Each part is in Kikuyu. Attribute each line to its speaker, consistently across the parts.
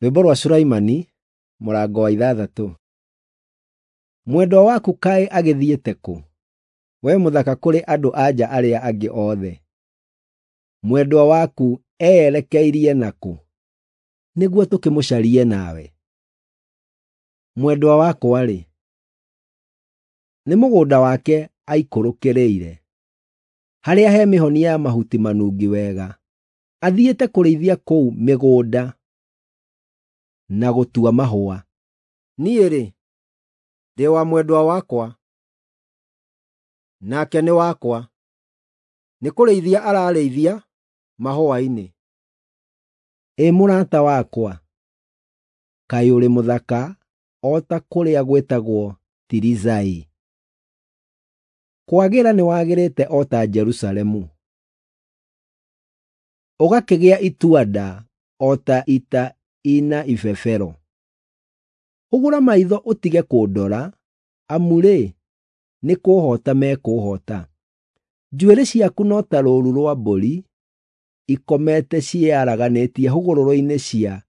Speaker 1: Rwĩmbo rwa Sulaimani, mũrango wa 6. Mwendwa waku kaĩ agĩthiĩte kũ, wee mũthaka kũrĩ andũ-a-nja arĩa angĩ othe? Mwendwa waku eyerekeirie na kũ, nĩguo tũkĩmũcarie nawe? Mwendwa wakwa-rĩ, nĩ mũgũnda wake aikũrũkĩrĩire, harĩa he mĩhonia ya mahuti manungi wega. Athiĩte kũrĩithia kũu mĩgũnda na gũtua mahũa. Niĩ-rĩ, ndĩ wa mwendwa wakwa, nake nĩ wakwa; nĩ kũrĩithia ararĩithia mahũa-inĩ. Ĩ mũrata wakwa, kaĩ ũrĩ mũthaka o ta kũrĩa gwĩtagwo Tiriza-ĩ! Kwagĩra nĩwagĩrĩte o ta Jerusalemu, ũgakĩgĩa itua-nda o ta ita ina ibebero. Hũgũra maitho ũtige kũndora, amu-rĩ, nĩ kũũhoota mekũũhoota. Njuĩrĩ ciaku no ta rũũru rwa mbũri ikomete ciĩyaraganĩtie hũgũrũrũ-inĩ cia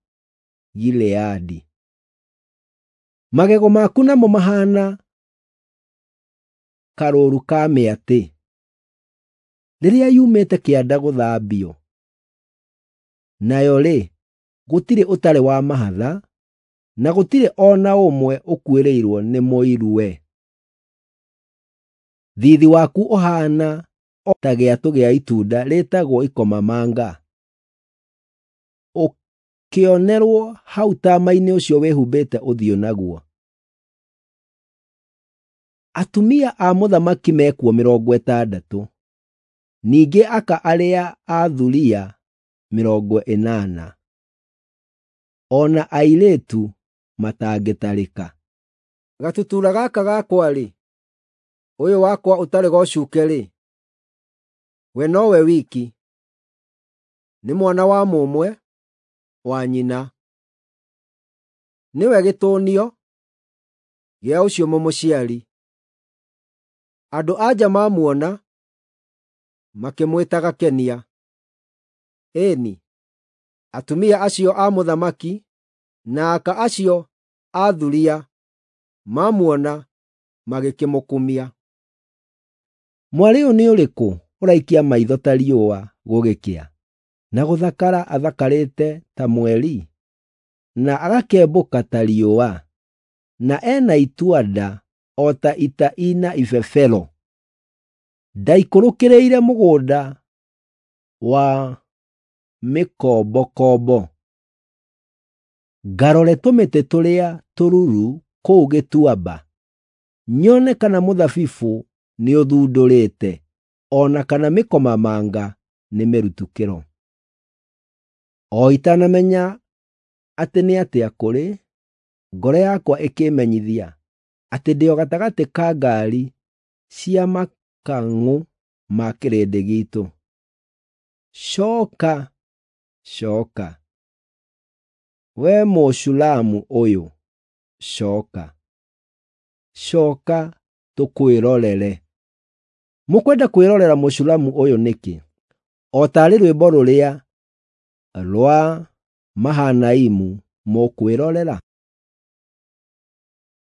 Speaker 1: Gileadi. Magego maku namo mahaana karũũru ka mĩatĩ rĩrĩa yumĩte kĩanda gũthambio. Nayo-rĩ, gũtirĩ ũtarĩ wa mahatha, na gũtirĩ o na ũmwe ũkuĩrĩirwo nĩ mũiruwe. Thiithi waku ũhaana o ta gĩatũ gĩa itunda rĩĩtagwo ikomamanga, ũkĩonerwo hau taama-inĩ ũcio wĩhumbĩte ũthiũ naguo. Atumia a mũthamaki mekuo 60, ningĩ aka arĩa a thuriya 80, o na airĩtu matangĩtarĩka. Gatutura gaka gakwa-rĩ, ũyũ wakwa ũtarĩ gocuke-rĩ, we nowe wiki, nĩ mwana wa mũmwe wa nyina. Nĩwe gĩtũnio gĩa ũcio mũmũciari. Andũ-a-nja mamuona makĩmwĩta Gakenia. Ĩĩ-ni, atumia acio a mũthamaki na aka acio a thuriya mamuona magĩkĩmũkumia. Mwarĩ ũyũ nĩ ũrĩkũ ũraikia maitho ta riũa gũgĩkĩa, na gũthakara athakarĩte ta mweri, na agakembũka ta riũa, na ena itua-nda o ta ita ina ibebero? Ndaikũrũkĩrĩire mũgũnda wa mĩkombokombo, ngarore tũmĩtĩ tũrĩa tũruru kũu gĩtuamba, nyone kana mũthabibũ nĩũthundũrĩte, o na kana mĩkomamanga nĩmĩrutu kĩro. O itanamenya atĩ nĩ atĩa kũrĩ, ngoro yakwa ĩkĩĩmenyithia atĩ ndĩ o gatagatĩ ka ngaari cia makang'ũ ma kĩrĩndĩ giitũ. Cooka, cooka, wee Mũshulamu ũyũ, cooka, cooka tũkwĩrorere. Mũkwenda kwĩrorera Mũshulamu ũyũ nĩkĩ, o taarĩ rwĩmbo rũrĩa rwa Mahanaimu mũkwĩrorera?